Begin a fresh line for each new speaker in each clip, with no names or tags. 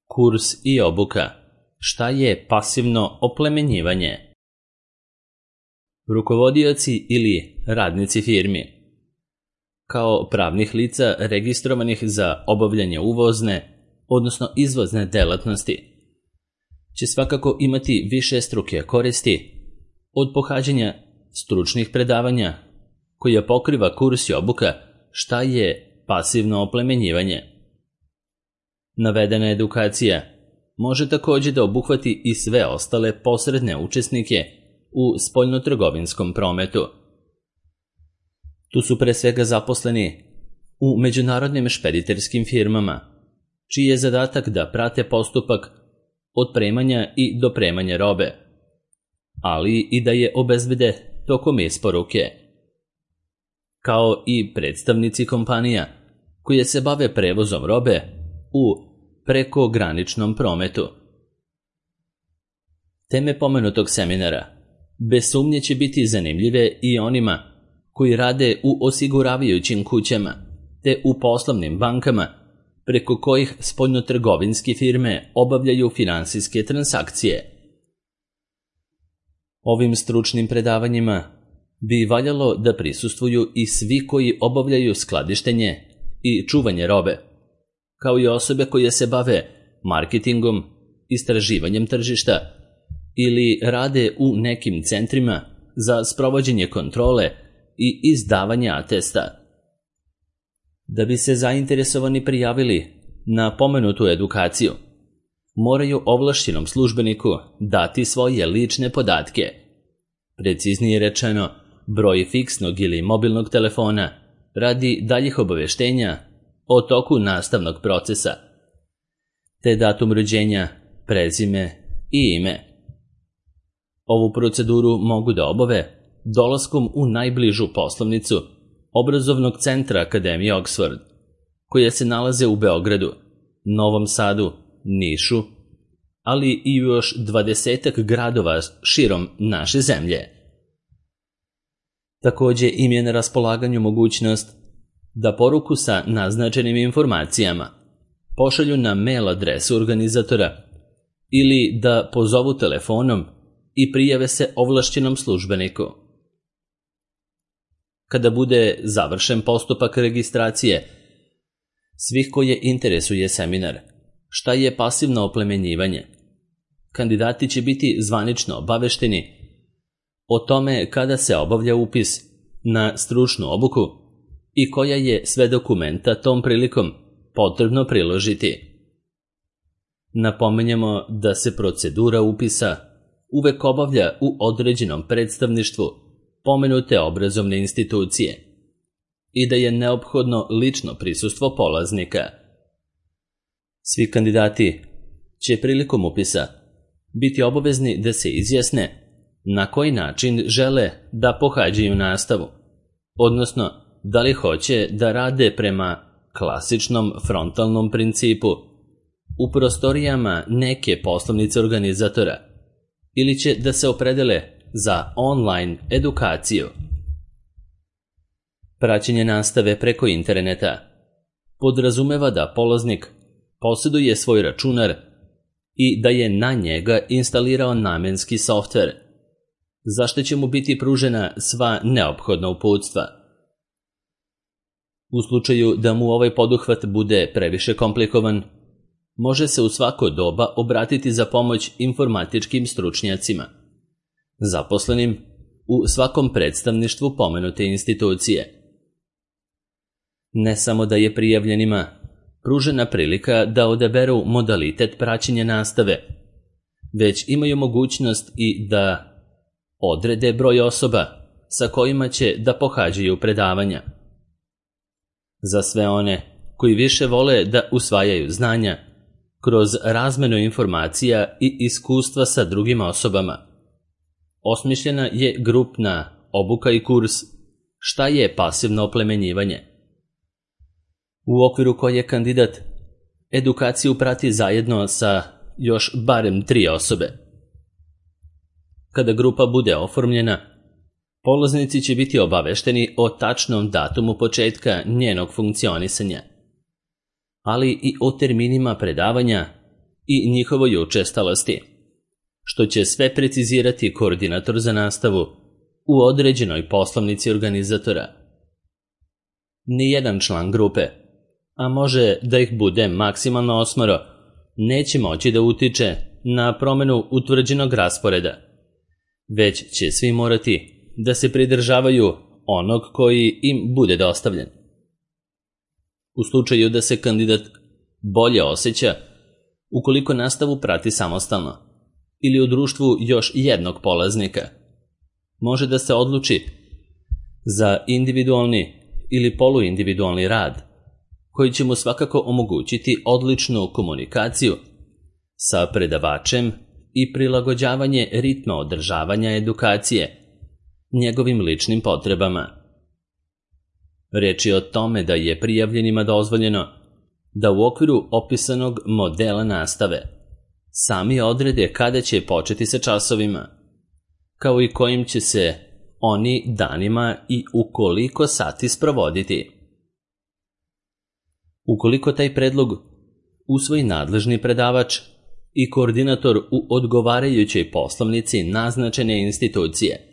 Kurs i obuka. Šta je pasivno oplemenjivanje? Rukovodioci ili radnici firmi, kao pravnih lica registrovanih za obavljanje uvozne, odnosno izvozne delatnosti, će svakako imati višestruke koristi od pohađanja stručnih predavanja koja pokriva kurs i obuka šta je pasivno oplemenjivanje. Navedena edukacija može također da obuhvati i sve ostale posredne učesnike u spoljnotrgovinskom prometu. Tu su pre svega zaposleni u međunarodnim špediterskim firmama, čiji je zadatak da prate postupak otpremanja i dopremanja robe, ali i da je obezbede tokom isporuke, kao i predstavnici kompanija koje se bave prevozom robe u prekograničnom prometu. Teme pomenutog seminara bez sumnje će biti zanimljive i onima koji rade u osiguravajućim kućama te u poslovnim bankama preko kojih spoljnotrgovinske firme obavljaju finansijske transakcije. Ovim stručnim predavanjima bi valjalo da prisustvuju i svi koji obavljaju skladištenje i čuvanje robe, kao i osobe koje se bave marketingom, istraživanjem tržišta ili rade u nekim centrima za sprovođenje kontrole i izdavanje atesta. Da bi se zainteresovani prijavili na pomenutu edukaciju, moraju ovlašćenom službeniku dati svoje lične podatke, preciznije rečeno broj fiksnog ili mobilnog telefona radi daljih obaveštenja o toku nastavnog procesa, te datum rođenja, prezime i ime. Ovu proceduru mogu da obave dolaskom u najbližu poslovnicu obrazovnog centra Akademije Oxford, koja se nalaze u Beogradu, Novom Sadu, Nišu, ali i još 20 gradova širom naše zemlje. Također im je na raspolaganju mogućnost da poruku sa naznačenim informacijama pošalju na mail adresu organizatora ili da pozovu telefonom i prijave se ovlašćenom službeniku. Kada bude završen postupak registracije svih koje interesuje seminar, šta je pasivno oplemenjivanje, kandidati će biti zvanično obavešteni o tome kada se obavlja upis na stručnu obuku i koja je sve dokumenta tom prilikom potrebno priložiti. Napominjemo da se procedura upisa uvek obavlja u određenom predstavništvu pomenute obrazovne institucije i da je neophodno lično prisustvo polaznika. Svi kandidati će prilikom upisa biti obavezni da se izjasne na koji način žele da pohađaju nastavu, odnosno da li hoće da rade prema klasičnom frontalnom principu u prostorijama neke poslovnice organizatora ili će da se opredele za online edukaciju. Praćenje nastave preko interneta podrazumeva da polaznik posjeduje svoj računar i da je na njega instalirao namenski softver, za što će mu biti pružena sva neophodna uputstva. U slučaju da mu ovaj poduhvat bude previše komplikovan, može se u svako doba obratiti za pomoć informatičkim stručnjacima, zaposlenim u svakom predstavništvu pomenute institucije. Ne samo da je prijavljenima pružena prilika da odaberu modalitet praćenja nastave, već imaju mogućnost i da odrede broj osoba sa kojima će da pohađaju predavanja. Za sve one koji više vole da usvajaju znanja kroz razmenu informacija i iskustva sa drugim osobama, osmišljena je grupna obuka i kurs šta je pasivno oplemenjivanje, u okviru koje kandidat edukaciju prati zajedno sa još barem 3 osobe. Kada grupa bude oformljena, polaznici će biti obavešteni o tačnom datumu početka njenog funkcionisanja, ali i o terminima predavanja i njihovoj učestalosti, što će sve precizirati koordinator za nastavu u određenoj poslovnici organizatora. Nijedan član grupe, a može da ih bude maksimalno 8, neće moći da utiče na promenu utvrđenog rasporeda, već će svi morati da se pridržavaju onog koji im bude dostavljen. U slučaju da se kandidat bolje osjeća ukoliko nastavu prati samostalno ili u društvu još jednog polaznika, može da se odluči za individualni ili poluindividualni rad, koji će mu svakako omogućiti odličnu komunikaciju sa predavačem i prilagođavanje ritma održavanja edukacije njegovim ličnim potrebama. Reč je o tome da je prijavljenima dozvoljeno da u okviru opisanog modela nastave sami odrede kada će početi sa časovima, kao i kojim će se oni danima i u koliko sati sprovoditi. Ukoliko taj predlog usvoji nadležni predavač i koordinator u odgovarajućoj poslovnici naznačene institucije,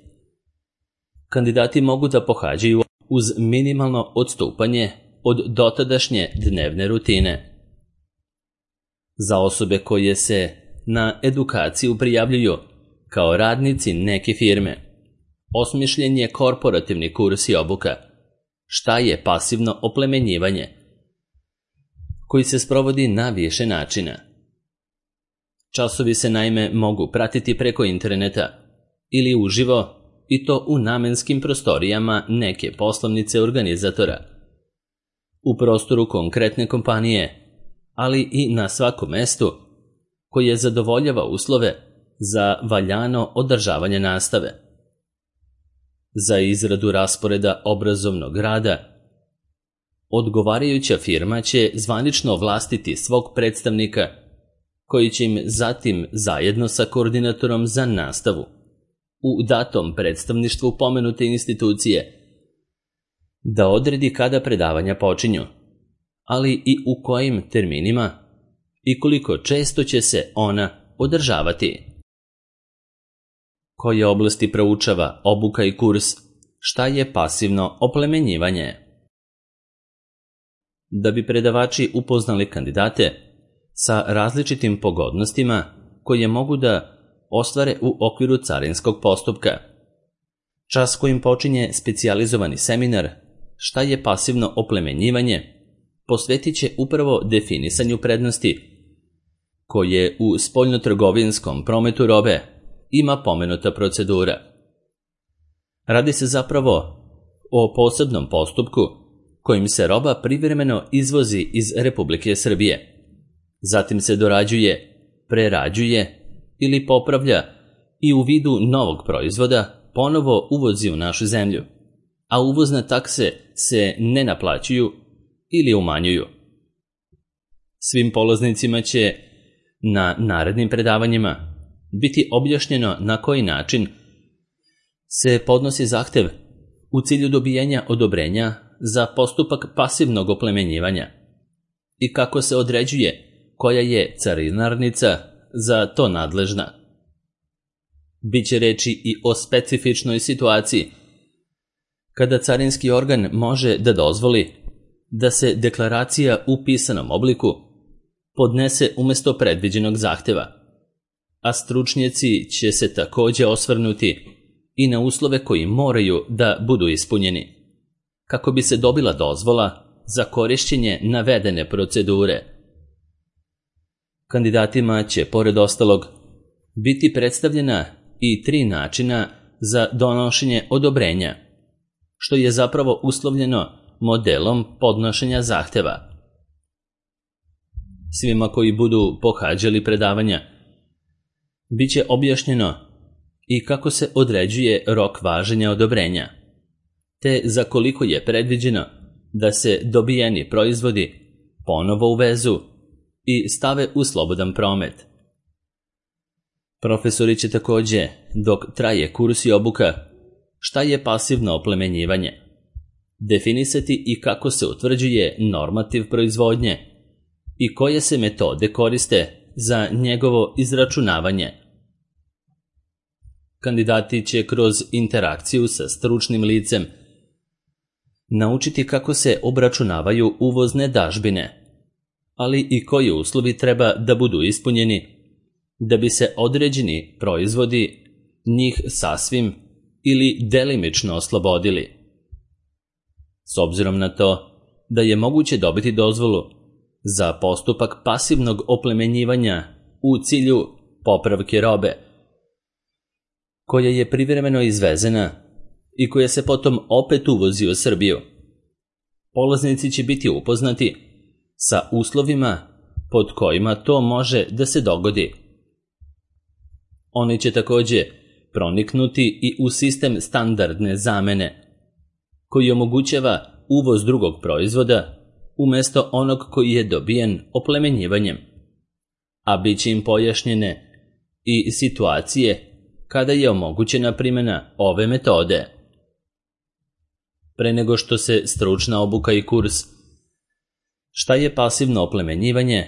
kandidati mogu da pohađaju uz minimalno odstupanje od dotadašnje dnevne rutine. Za osobe koje se na edukaciju prijavljuju kao radnici neke firme, osmišljen je korporativni kurs i obuka šta je pasivno oplemenjivanje, koji se sprovodi na više načina. Časovi se naime mogu pratiti preko interneta ili uživo, i to u namenskim prostorijama neke poslovnice organizatora, u prostoru konkretne kompanije, ali i na svakom mestu koje zadovoljava uslove za valjano održavanje nastave. Za izradu rasporeda obrazovnog rada, odgovarajuća firma će zvanično ovlastiti svog predstavnika, koji će im zatim zajedno sa koordinatorom za nastavu u datom predstavništvu pomenute institucije da odredi kada predavanja počinju, ali i u kojim terminima i koliko često će se ona održavati. Koje oblasti proučava obuka i kurs, šta je pasivno oplemenjivanje? Da bi predavači upoznali kandidate sa različitim pogodnostima koje mogu da ostvare u okviru carinskog postupka, čas kojim počinje specijalizovani seminar šta je pasivno oplemenjivanje posvetit će upravo definisanju prednosti koje u spoljnotrgovinskom prometu robe ima pomenuta procedura. Radi se zapravo o posebnom postupku kojim se roba privremeno izvozi iz Republike Srbije, zatim se dorađuje, prerađuje ili popravlja i u vidu novog proizvoda ponovo uvozi u našu zemlju, a uvozne takse se ne naplaćuju ili umanjuju. Svim polaznicima će na narednim predavanjima biti objašnjeno na koji način se podnosi zahtev u cilju dobijanja odobrenja za postupak pasivnog oplemenjivanja i kako se određuje koja je carinarnica za to nadležna. Biće reči i o specifičnoj situaciji kada carinski organ može da dozvoli da se deklaracija u pisanom obliku podnese umesto predviđenog zahteva, a stručnjaci će se takođe osvrnuti i na uslove koji moraju da budu ispunjeni, kako bi se dobila dozvola za korišćenje navedene procedure. Kandidatima će, pored ostalog, biti predstavljena i 3 načina za donošenje odobrenja, što je zapravo uslovljeno modelom podnošenja zahteva. Svima koji budu pohađali predavanja biće objašnjeno i kako se određuje rok važenja odobrenja, te za koliko je predviđeno da se dobijeni proizvodi ponovo uvezu i stave u slobodan promet. Profesori će takođe, dok traje kurs i obuka, šta je pasivno oplemenjivanje, definisati i kako se utvrđuje normativ proizvodnje i koje se metode koriste za njegovo izračunavanje. Kandidati će kroz interakciju sa stručnim licem naučiti kako se obračunavaju uvozne dažbine, ali i koji uslovi treba da budu ispunjeni da bi se određeni proizvodi njih sasvim ili delimično oslobodili. S obzirom na to da je moguće dobiti dozvolu za postupak pasivnog oplemenjivanja u cilju popravke robe, koja je privremeno izvezena i koja se potom opet uvozi u Srbiju, polaznici će biti upoznati sa uslovima pod kojima to može da se dogodi. Oni će takođe proniknuti i u sistem standardne zamene, koji omogućava uvoz drugog proizvoda umesto onog koji je dobijen oplemenjivanjem, a bit će im pojašnjene i situacije kada je omogućena primjena ove metode. Pre nego što se stručna obuka i kurs "Šta je pasivno oplemenjivanje"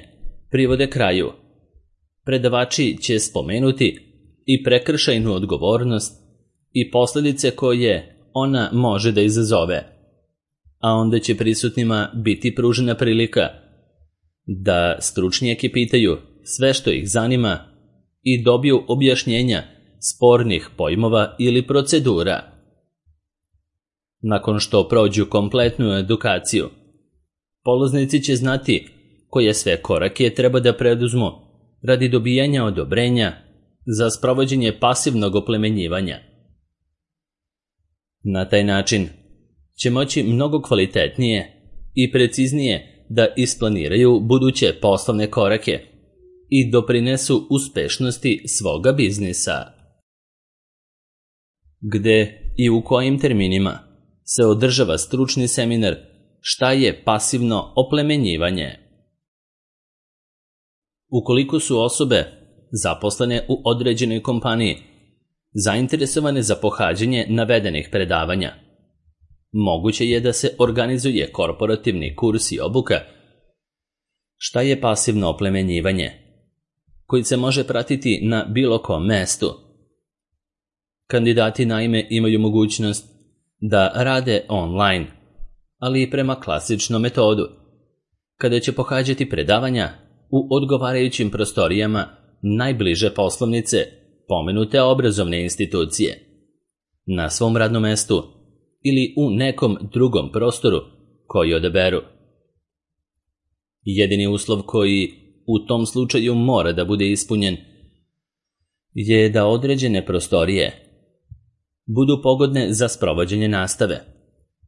privode kraju, predavači će spomenuti i prekršajnu odgovornost i posljedice koje ona može da izazove, a onda će prisutnima biti pružena prilika da stručnjaki pitaju sve što ih zanima i dobiju objašnjenja spornih pojmova ili procedura. Nakon što prođu kompletnu edukaciju, polaznici će znati koje sve korake treba da preduzmu radi dobijanja odobrenja za sprovođenje pasivnog oplemenjivanja. Na taj način će moći mnogo kvalitetnije i preciznije da isplaniraju buduće poslovne korake i doprinesu uspešnosti svoga biznisa. Gde i u kojim terminima se održava stručni seminar "Šta je pasivno oplemenjivanje"? Ukoliko su osobe zaposlene u određenoj kompaniji zainteresovane za pohađanje navedenih predavanja, moguće je da se organizuje korporativni kurs i obuka "Šta je pasivno oplemenjivanje", koji se može pratiti na bilo kom mestu. Kandidati naime imaju mogućnost da rade online, ali i prema klasičnom metodu, kada će pohađati predavanja u odgovarajućim prostorijama najbliže poslovnice pomenute obrazovne institucije, na svom radnom mestu ili u nekom drugom prostoru koji odaberu. Jedini uslov koji u tom slučaju mora da bude ispunjen je da određene prostorije budu pogodne za sprovođenje nastave,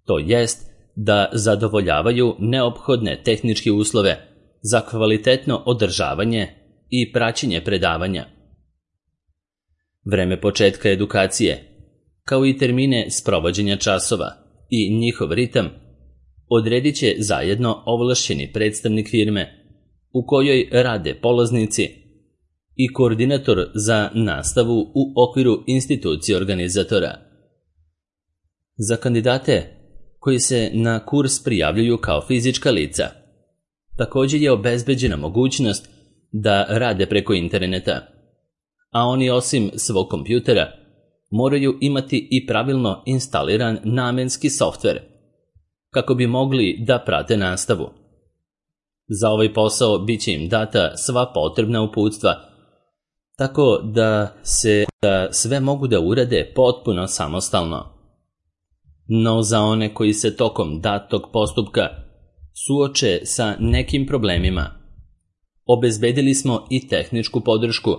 to jest da zadovoljavaju neophodne tehničke uslove za kvalitetno održavanje i praćenje predavanja. Vreme početka edukacije, kao i termine sprovođenja časova i njihov ritam, odredit će zajedno ovlašćeni predstavnik firme u kojoj rade polaznici i koordinator za nastavu u okviru institucije organizatora. Za kandidate koji se na kurs prijavljuju kao fizička lica, također je obezbeđena mogućnost da rade preko interneta, a oni osim svog kompjutera moraju imati i pravilno instaliran namenski softver kako bi mogli da prate nastavu. Za ovaj posao bit će im data sva potrebna uputstva, tako da sve mogu da urade potpuno samostalno. No za one koji se tokom datog postupka suoče sa nekim problemima, obezbedili smo i tehničku podršku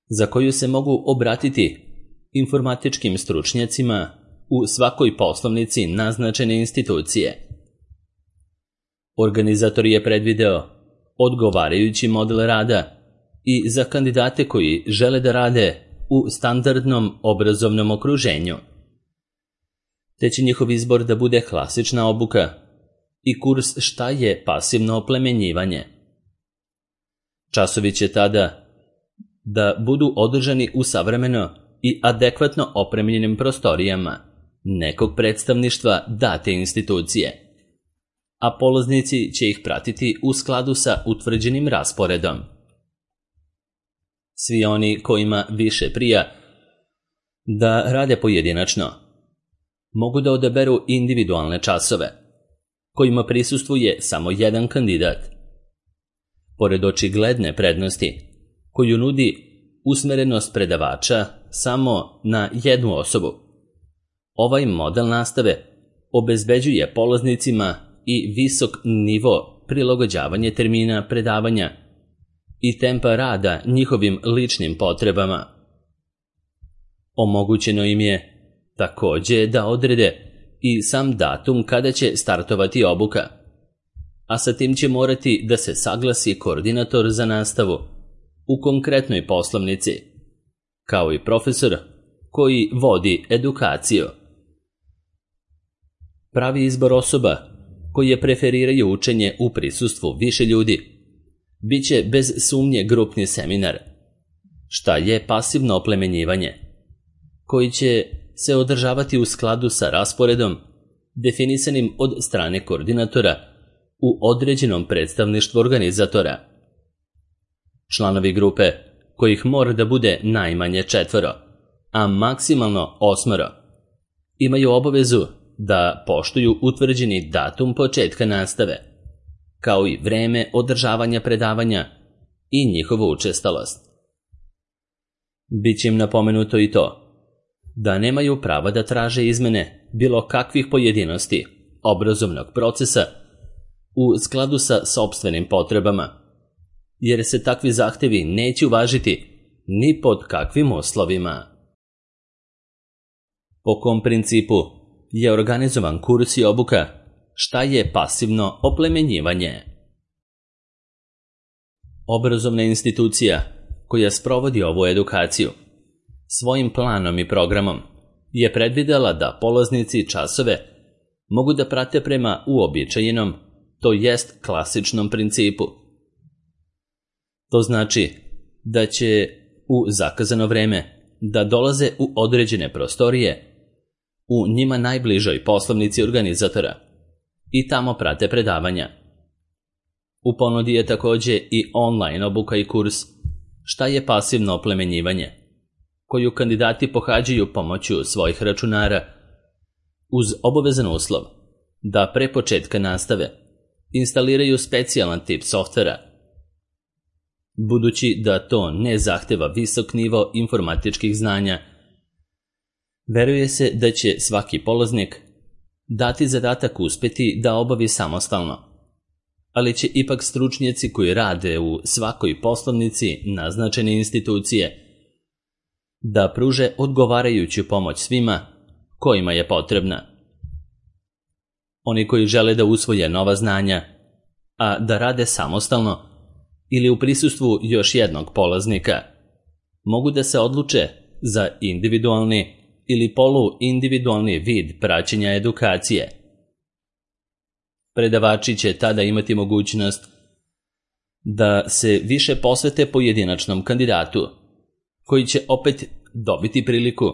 za koju se mogu obratiti informatičkim stručnjacima u svakoj poslovnici naznačene institucije. Organizator je predvideo odgovarajući model rada i za kandidate koji žele da rade u standardnom obrazovnom okruženju, te će njihov izbor da bude klasična obuka i kurs "Šta je pasivno oplemenjivanje". Časovi će tada da budu održani u savremeno i adekvatno opremljenim prostorijama nekog predstavništva date institucije, a polaznici će ih pratiti u skladu sa utvrđenim rasporedom. Svi oni kojima više prija da rade pojedinačno mogu da odaberu individualne časove, kojima prisustvuje samo jedan kandidat. Pored očigledne prednosti koju nudi usmerenost predavača samo na jednu osobu, ovaj model nastave obezbeđuje polaznicima i visok nivo prilagođavanja termina predavanja i tempa rada njihovim ličnim potrebama. Omogućeno im je takođe da odrede i sam datum kada će startovati obuka, a sa tim će morati da se saglasi koordinator za nastavu u konkretnoj poslovnici, kao i profesor koji vodi edukaciju. Pravi izbor osoba koje preferiraju učenje u prisustvu više ljudi biće bez sumnje grupni seminar, šta je pasivno oplemenjivanje, koji će se održavati u skladu sa rasporedom definisanim od strane koordinatora u određenom predstavništvu organizatora. Članovi grupe, kojih mora da bude najmanje 4, a maksimalno 8, imaju obavezu da poštuju utvrđeni datum početka nastave, kao i vreme održavanja predavanja i njihovu učestalost. Biće im napomenuto i to da nemaju prava da traže izmene bilo kakvih pojedinosti obrazovnog procesa u skladu sa sopstvenim potrebama, jer se takvi zahtevi neće uvažiti ni pod kakvim uslovima. Po kom principu je organizovan kurs i obuka? Šta je pasivno oplemenjivanje? Obrazovna institucija koja sprovodi ovu edukaciju svojim planom i programom je predvidela da polaznici časove mogu da prate prema uobičajenom, to jest klasičnom principu. To znači da će u zakazano vreme da dolaze u određene prostorije u njima najbližoj poslovnici organizatora i tamo prate predavanja. U ponudi je takođe i online obuka i kurs Šta je pasivno oplemenjivanje, koju kandidati pohađaju pomoću svojih računara, uz obavezan uslov da pre početka nastave instaliraju specijalan tip softvera. Budući da to ne zahteva visok nivo informatičkih znanja, veruje se da će svaki polaznik dati zadatak uspeti da obavi samostalno, ali će ipak stručnjaci koji rade u svakoj poslovnici naznačene institucije da pruže odgovarajuću pomoć svima kojima je potrebna. Oni koji žele da usvoje nova znanja, a da rade samostalno ili u prisustvu još jednog polaznika, mogu da se odluče za individualni ili poluindividualni vid praćenja edukacije. Predavači će tada imati mogućnost da se više posvete pojedinačnom kandidatu, koji će opet dobiti priliku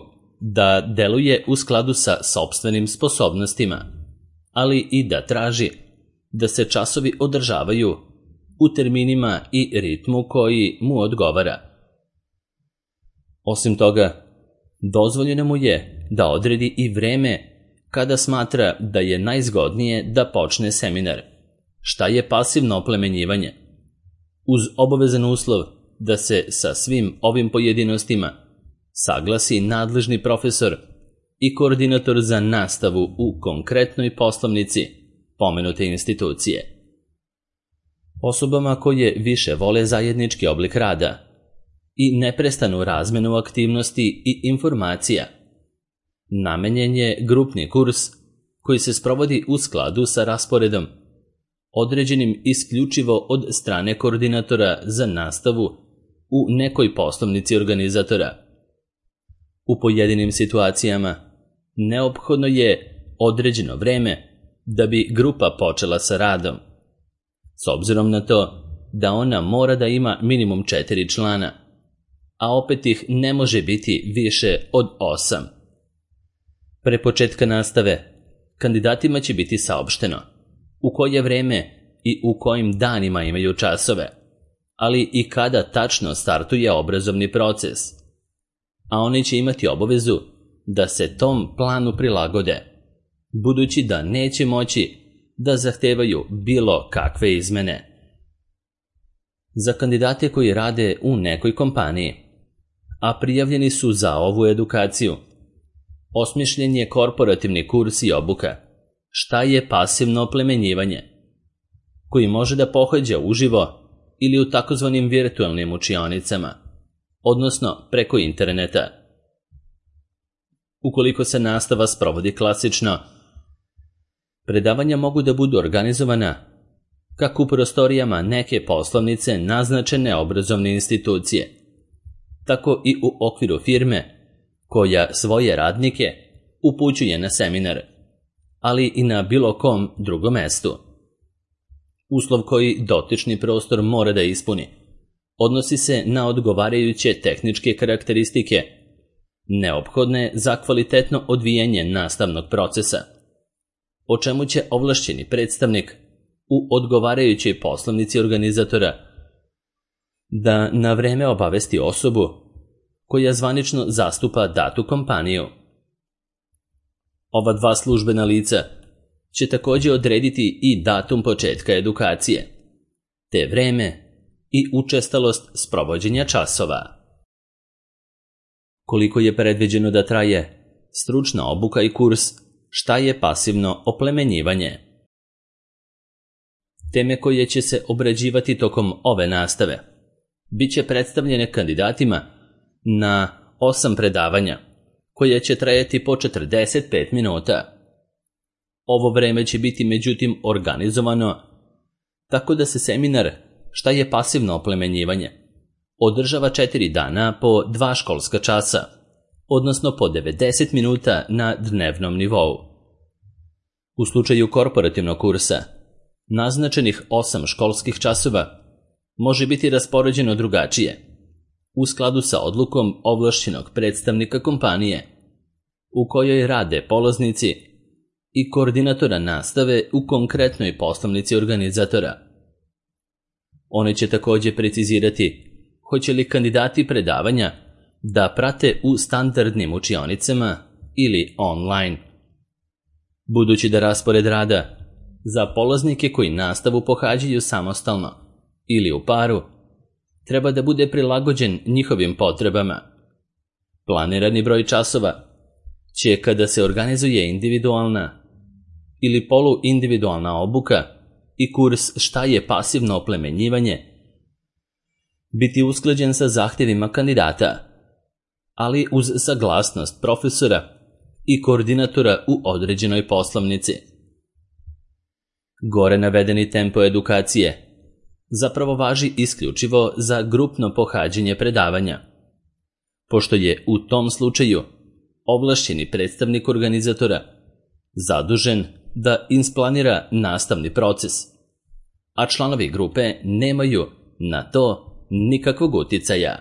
da deluje u skladu sa sopstvenim sposobnostima, ali i da traži da se časovi održavaju u terminima i ritmu koji mu odgovara. Osim toga, dozvoljeno mu je da odredi i vreme kada smatra da je najzgodnije da počne seminar. Šta je pasivno oplemenjivanje? Uz obavezan uslov da se sa svim ovim pojedinostima saglasi nadležni profesor i koordinator za nastavu u konkretnoj poslovnici pomenute institucije. Osobama koje više vole zajednički oblik rada i neprestanu razmenu aktivnosti i informacija, namenjen je grupni kurs koji se sprovodi u skladu sa rasporedom, određenim isključivo od strane koordinatora za nastavu u nekoj poslovnici organizatora. U pojedinim situacijama neophodno je određeno vreme da bi grupa počela sa radom, s obzirom na to da ona mora da ima minimum 4 člana, a opet ih ne može biti više od 8. Pre početka nastave, kandidatima će biti saopšteno u koje vreme i u kojim danima imaju časove, ali i kada tačno startuje obrazovni proces, a oni će imati obavezu da se tom planu prilagode, budući da neće moći da zahtevaju bilo kakve izmene. Za kandidate koji rade u nekoj kompaniji, a prijavljeni su za ovu edukaciju, osmišljen je korporativni kurs i obuka šta je pasivno oplemenjivanje, koji može da pohađa uživo ili u takozvanim virtualnim učionicama, odnosno preko interneta. Ukoliko se nastava sprovodi klasično, predavanja mogu da budu organizovana kako u prostorijama neke poslovnice naznačene obrazovne institucije, tako i u okviru firme koja svoje radnike upućuje na seminar, ali i na bilo kom drugom mestu. Uslov koji dotični prostor mora da ispuni odnosi se na odgovarajuće tehničke karakteristike neophodne za kvalitetno odvijanje nastavnog procesa, o čemu će ovlašćeni predstavnik u odgovarajućoj poslovnici organizatora da na vreme obavesti osobu koja zvanično zastupa datu kompaniju. Ova dva službena lica će također odrediti i datum početka edukacije, te vreme i učestalost sprovođenja časova. Koliko je predviđeno da traje stručna obuka i kurs šta je pasivno oplemenjivanje? Teme koje će se obrađivati tokom ove nastave bit će predstavljene kandidatima na 8 predavanja, koje će trajati po 45 minuta. Ovo vreme će biti međutim organizovano tako da se seminar šta je pasivno oplemenjivanje održava 4 dana po 2 školska časa, odnosno po 90 minuta na dnevnom nivou. U slučaju korporativnog kursa, naznačenih 8 školskih časova može biti raspoređeno drugačije, u skladu sa odlukom ovlašćenog predstavnika kompanije, u kojoj rade polaznici i koordinatora nastave u konkretnoj poslovnici organizatora. Oni će također precizirati hoće li kandidati predavanja da prate u standardnim učionicama ili online. Budući da raspored rada za polaznike koji nastavu pohađaju samostalno ili u paru treba da bude prilagođen njihovim potrebama, planirani broj časova će, kada se organizuje individualna ili poluindividualna obuka i kurs šta je pasivno oplemenjivanje, biti usklađen sa zahtjevima kandidata, ali uz saglasnost profesora i koordinatora u određenoj poslovnici. Gore navedeni tempo edukacije zapravo važi isključivo za grupno pohađanje predavanja, pošto je u tom slučaju ovlašćeni predstavnik organizatora zadužen da isplanira nastavni proces, a članovi grupe nemaju na to nikakvog uticaja.